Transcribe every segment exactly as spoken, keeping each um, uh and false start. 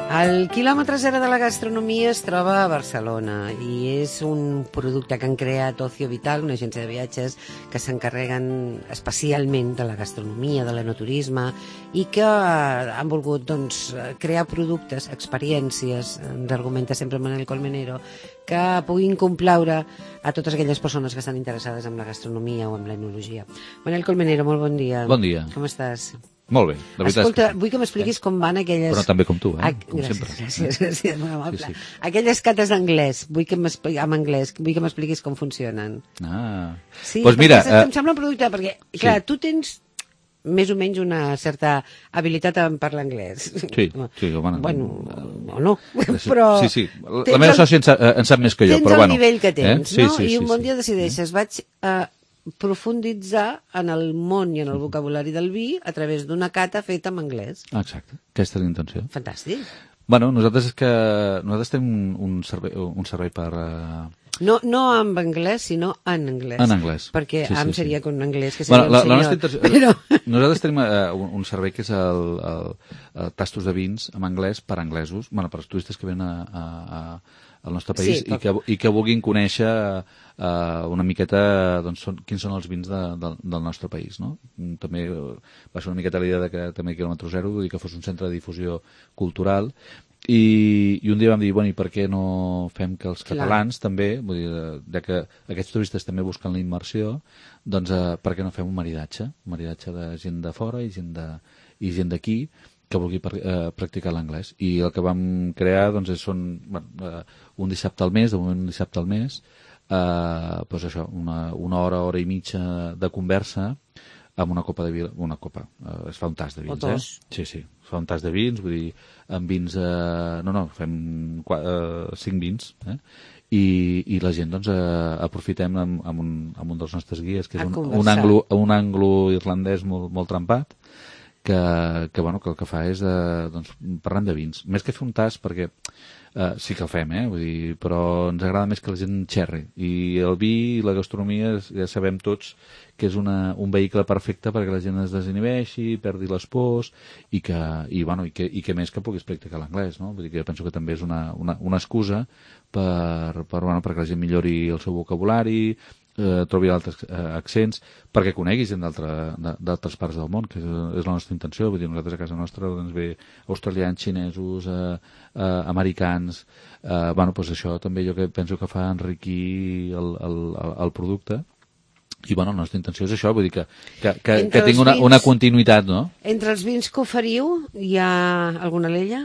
El quilòmetre zero de la gastronomia es troba a Barcelona i és un producte que han creat Ocio Vital, una agència de viatges que s'encarreguen especialment de la gastronomia, de l'enoturisme i que han volgut doncs, crear productes, experiències, ens argumenta sempre Manel Colmenero, que puguin complaure a totes aquelles persones que estan interessades en la gastronomia o en l'enologia. Manel Colmenero, molt bon dia. Bon dia. Com estàs? Molt bé, la veritat Escolta, és que sí. vull que m'expliquis eh? com van aquelles... Però també com tu, eh? Ac... Com gràcies, sempre. gràcies, gràcies, molt amable. Sí, sí. Aquelles cates d'anglès, vull que m'expliquis, amb anglès, vull que m'expliquis com funcionen. Ah. Sí, pues mira, perquè eh... em sembla un producte, perquè, clar, sí. tu tens més o menys una certa habilitat en parlar anglès. Sí, sí, home... Bueno, o no, però... Sí, sí, la meva sòcia en sap, en sap més que jo, tens però bueno... Tens el nivell que tens, eh? sí, no? sí, I sí, un bon sí. dia decideixes, vaig a profunditzar en el món i en el vocabulari del vi a través d'una cata feta en anglès. Exacte, aquesta és la intenció. Fantàstic. Bueno, nosaltres és que... Nosaltres tenim un servei, un servei per... Uh... No, no en anglès, sinó en anglès. En anglès. Perquè sí, sí, am sí. seria com en anglès, que seria bueno, la, un la senyor. Intenció... Però... Nosaltres tenim uh, un, un servei que és el, el, el tastos de vins en anglès per anglesos, bueno, per als turistes que venen a, a, a, al nostre país sí, i, que, i que vulguin conèixer uh, una miqueta doncs, són, quins són els vins de, de, del nostre país. No? També uh, va ser una miqueta la idea de que també quilòmetre zero i que fos un centre de difusió cultural. I, i un dia vam dir, bueno, i per què no fem que els catalans Clar. també, vull dir, ja que aquests turistes també busquen la immersió, doncs eh, per què no fem un maridatge, un maridatge de gent de fora i gent de, i gent d'aquí que vulgui per, eh, practicar l'anglès. I el que vam crear doncs, és, són bueno, eh, un dissabte al mes, de moment un dissabte al mes, eh, doncs això, una, una hora, hora i mitja de conversa amb una copa de vi, una copa, eh, es fa un tas de vins, eh? Sí, sí, es fa un tas de vins, vull dir, amb vins, eh, no, no, fem quatre, eh, cinc vins, eh? I, i la gent, doncs, eh, aprofitem amb, amb, un, amb un dels nostres guies, que és un, un, anglo, un anglo-irlandès molt, molt trempat, que, que, bueno, que el que fa és, eh, doncs, parlant de vins. Més que fer un tas, perquè eh, sí que el fem, eh? Vull dir, però ens agrada més que la gent xerri. I el vi i la gastronomia, ja sabem tots que és una, un vehicle perfecte perquè la gent es desinhibeixi, perdi les pors i que, i, bueno, i que, i que més que puguis practicar l'anglès, no? Vull dir que jo penso que també és una, una, una excusa per, per, bueno, perquè la gent millori el seu vocabulari, eh, trobi altres eh, accents, perquè conegui gent d'altres parts del món, que és, és la nostra intenció. Vull dir, nosaltres a casa nostra doncs, ve australians, xinesos, eh, eh, americans, eh, bueno, doncs això també jo que penso que fa enriquir el, el, el, el producte. I, bueno, la nostra intenció és això, vull dir que, que, que, que tingui una, una continuïtat, no? Entre els vins que oferiu, hi ha alguna l'ella?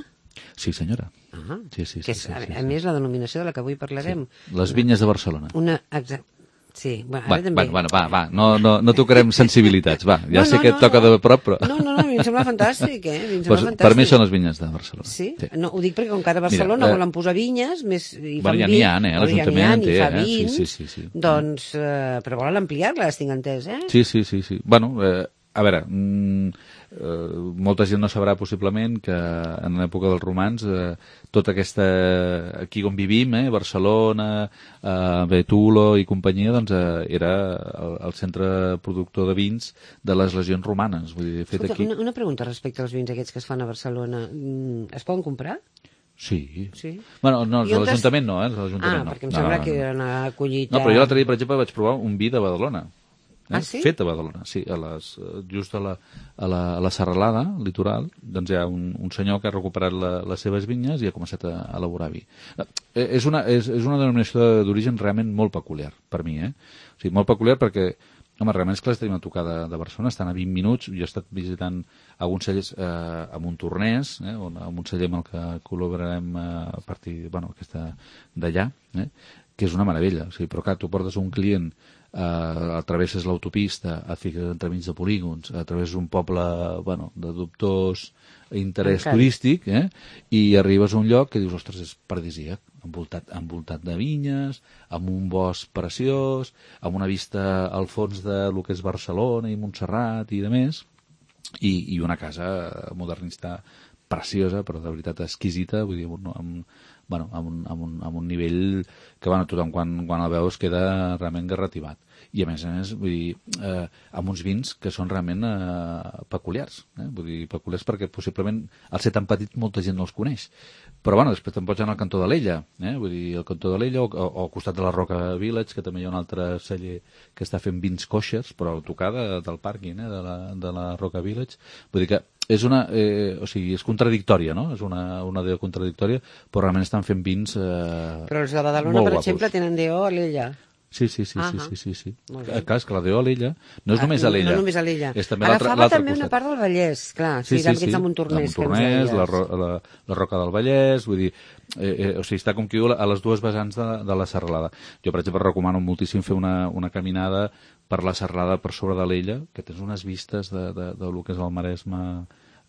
Sí, senyora. Ah, sí, sí, que sí, és, sí, a, sí, a més, la denominació de la que avui parlarem. Sí. Les vinyes de Barcelona. Una, exacte. Sí, bueno, va, ara també. Bueno, va, va, no, no, no tocarem sensibilitats, va, ja no, sé no, que et no, toca no. de prop, però... No, no, no, a mi em sembla fantàstic, eh? Mi em sembla pues, fantàstic. Per mi són les vinyes de Barcelona. Sí? sí. No, ho dic perquè com que ara a Barcelona Mira, eh, volen posar vinyes, més, i fan bueno, ja vi, n'hi ha, eh? L'Ajuntament ja en té, eh? Vins, sí, sí, sí, sí. Doncs, eh, però volen ampliar-les, tinc entès, eh? Sí, sí, sí, sí. Bueno, eh, a veure, mm, eh, molta gent no sabrà possiblement que en l'època dels romans eh, tota aquesta, aquí on vivim, eh, Barcelona, eh, Betulo i companyia, doncs eh, era el, el centre productor de vins de les legions romanes. Vull dir, fet Escolta, aquí... una, una pregunta respecte als vins aquests que es fan a Barcelona. Es poden comprar? Sí. sí. Bueno, no, l'Ajuntament no, eh? Ah, no. perquè em no, sembla no, no, que no. era una collita... No, però jo l'altre dia, per exemple, vaig provar un vi de Badalona. Eh? Ah, sí? Fet a Badalona, sí, a les, just a la, a, la, a la serralada litoral, doncs hi ha un, un senyor que ha recuperat la, les seves vinyes i ha començat a, a elaborar vi. Eh, és, una, és, és una denominació d'origen realment molt peculiar, per mi, eh? O sigui, molt peculiar perquè, home, realment és que les tenim a tocar de, de Barcelona, estan a vint minuts, jo he estat visitant alguns cellers eh, amb un tornès, eh, on, amb un celler amb el que col·laborarem eh, a partir, bueno, aquesta d'allà, eh, que és una meravella, o sigui, però clar, tu portes un client Uh, travesses l'autopista, et fiques entremig de polígons, a través d'un poble bueno, de dubtós interès Encara. turístic, eh? I arribes a un lloc que dius, ostres, és paradisíac, envoltat, envoltat de vinyes, amb un bosc preciós, amb una vista al fons de lo que és Barcelona i Montserrat i de més, i, i una casa modernista preciosa, però de veritat exquisita, vull dir, no, amb, bueno, amb, un, amb, un, amb un nivell que bueno, tothom quan, quan el veus queda realment garrativat. i a més a més, vull dir, eh, amb uns vins que són realment eh, peculiars, eh? Vull dir, peculiars perquè possiblement al ser tan petit molta gent no els coneix. Però bueno, després te'n pots anar al cantó de l'Ella, eh? Vull dir, al cantó de l'Ella o, o, o al costat de la Roca Village, que també hi ha un altre celler que està fent vins coixers, però a tocar de, del pàrquing, eh? de, la, de la Roca Village. Vull dir que és una, eh, o sigui, és contradictòria, no? És una, una idea contradictòria, però realment estan fent vins eh, Però els de Badalona, per exemple, tenen D O a l'Ella. Sí, sí, sí, ah sí, sí, sí, sí. Clar, és que la D O a l'Ella no és ah, només a l'Ella. No només a l'Ella. És també Agafava també una part del Vallès, clar. Sí, sí, sí. sí. La Montornès, la, Montornès la, la, la Roca del Vallès, vull dir, eh, eh, o sigui, està com qui diu a les dues vessants de, de la serralada. Jo, per exemple, recomano moltíssim fer una, una caminada per la serralada per sobre de l'Ella, que tens unes vistes de, de, de, de lo que és el Maresme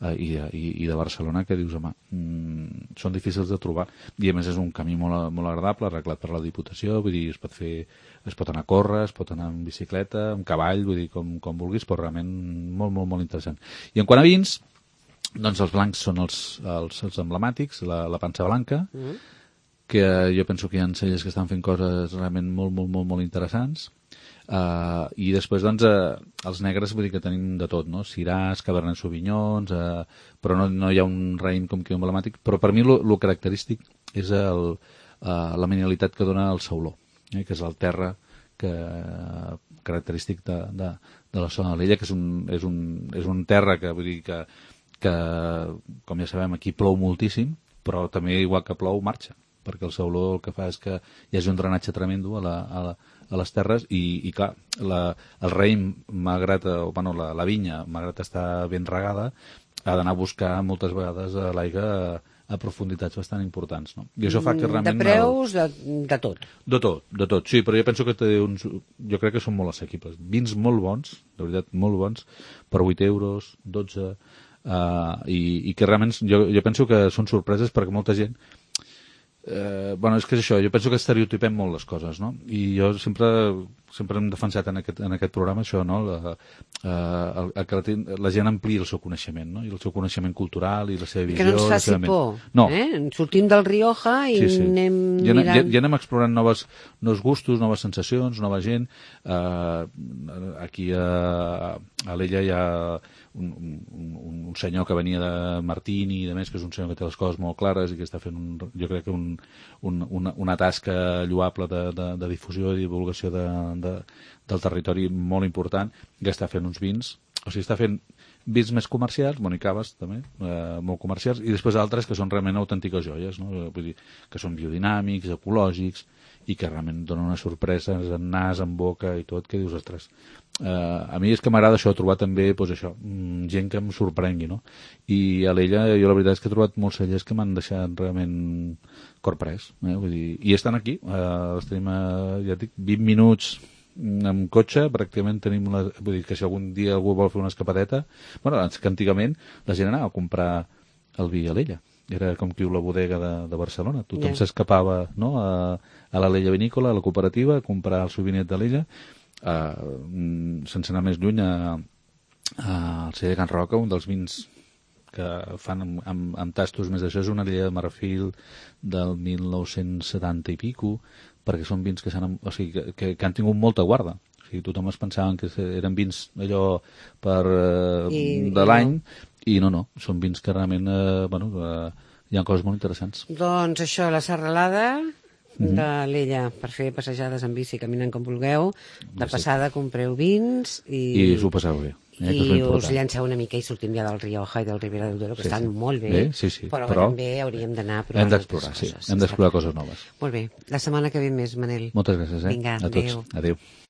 eh, i, de, i, i de Barcelona, que dius, home, mm, són difícils de trobar. I a més és un camí molt, molt agradable, arreglat per la Diputació, vull dir, es pot fer, es pot anar a córrer, es pot anar en bicicleta, amb cavall, vull dir, com, com vulguis, però realment molt, molt, molt interessant. I en quant a vins, doncs els blancs són els, els, els emblemàtics, la, la pansa blanca, mm. que jo penso que hi ha cellers que estan fent coses realment molt, molt, molt, molt interessants. Uh, i després doncs uh, els negres vull dir que tenim de tot, no? Syrahs, Cabernet Sauvignons, uh, però no, no hi ha un raïm com que emblemàtic, però per mi el característic és el, uh, la mineralitat que dona el sauló, eh? Que és el terra que, uh, característic de, de, de la zona de l'Ella, que és un, és, un, és un terra que vull dir que, que com ja sabem aquí plou moltíssim, però també igual que plou marxa, perquè el sauló el que fa és que hi hagi un drenatge tremendo a la, a la a les terres i, i clar, la, el raïm, malgrat, o, bueno, la, la vinya, malgrat estar ben regada, ha d'anar a buscar moltes vegades l'aigua a, a profunditats bastant importants, no? I això fa que realment... De preus, el... de, de tot. De tot, de tot, sí, però jo penso que té uns... Jo crec que són molt assequibles. Vins molt bons, de veritat, molt bons, per vuit euros, dotze, uh, i, i que realment jo, jo penso que són sorpreses perquè molta gent... Eh, bueno, és que és això, jo penso que estereotipem molt les coses, no? I jo sempre sempre hem defensat en aquest, en aquest programa això, no? La, eh, el, el que la, la gent ampliï el seu coneixement, no? I el seu coneixement cultural i la seva visió. I que no ens faci por. No. Eh? Sortim del Rioja i sí, sí. anem ja, mirant... Ja, ja anem explorant noves, nous gustos, noves sensacions, nova gent. Eh, aquí a, a l'Ella hi ha un, un, un senyor que venia de Martini i de més, que és un senyor que té les coses molt clares i que està fent, un, jo crec que un, un, una, una tasca lloable de, de, de difusió i divulgació de, de, del territori molt important, que està fent uns vins, o sigui, està fent vins més comercials, bueno, i caves també, eh, molt comercials, i després altres que són realment autèntiques joies, no? Vull dir, que són biodinàmics, ecològics, i que realment donen una sorpresa en nas, en boca i tot, que dius, ostres, eh, a mi és que m'agrada això, trobar també, doncs això, gent que em sorprengui, no? I a l'Ella jo la veritat és que he trobat molts cellers que m'han deixat realment corprès, eh? Vull dir, i estan aquí, eh, els tenim, eh, ja dic, vint minuts amb cotxe, pràcticament tenim una, vull dir que si algun dia algú vol fer una escapadeta, bueno, que antigament la gent anava a comprar el vi a l'Ella, era com qui diu la bodega de, de Barcelona, tothom yeah. s'escapava, no?, a, a la l'Ella Vinícola, a la cooperativa, a comprar el seu vinet de l'Ella, uh, sense anar més lluny a, a el celler Can Roca, un dels vins que fan amb, amb, amb tastos més d'això, és una Ella de Marfil del mil nou-cents setanta i pico, perquè són vins que, o sigui, que, que, que han tingut molta guarda. O sigui, tothom es pensaven que eren vins allò per, eh, I, de l'any, i no, no, són vins que realment eh, bueno, eh, hi ha coses molt interessants. Doncs això, la serralada mm-hmm. de l'Ella, per fer passejades en bici, caminant com vulgueu, de passada compreu vins i... I us ho passeu bé. Eh, i us llanceu una mica i sortim ja del Rioja i del Ribera del Duero, que sí, estan sí. molt bé, bé sí, sí. però, però també hauríem d'anar a provar hem d'explorar, sí. Hem d'explorar coses noves. Molt bé, la setmana que ve més, Manel. Moltes gràcies, eh? Vinga, a tots. adéu. Adéu.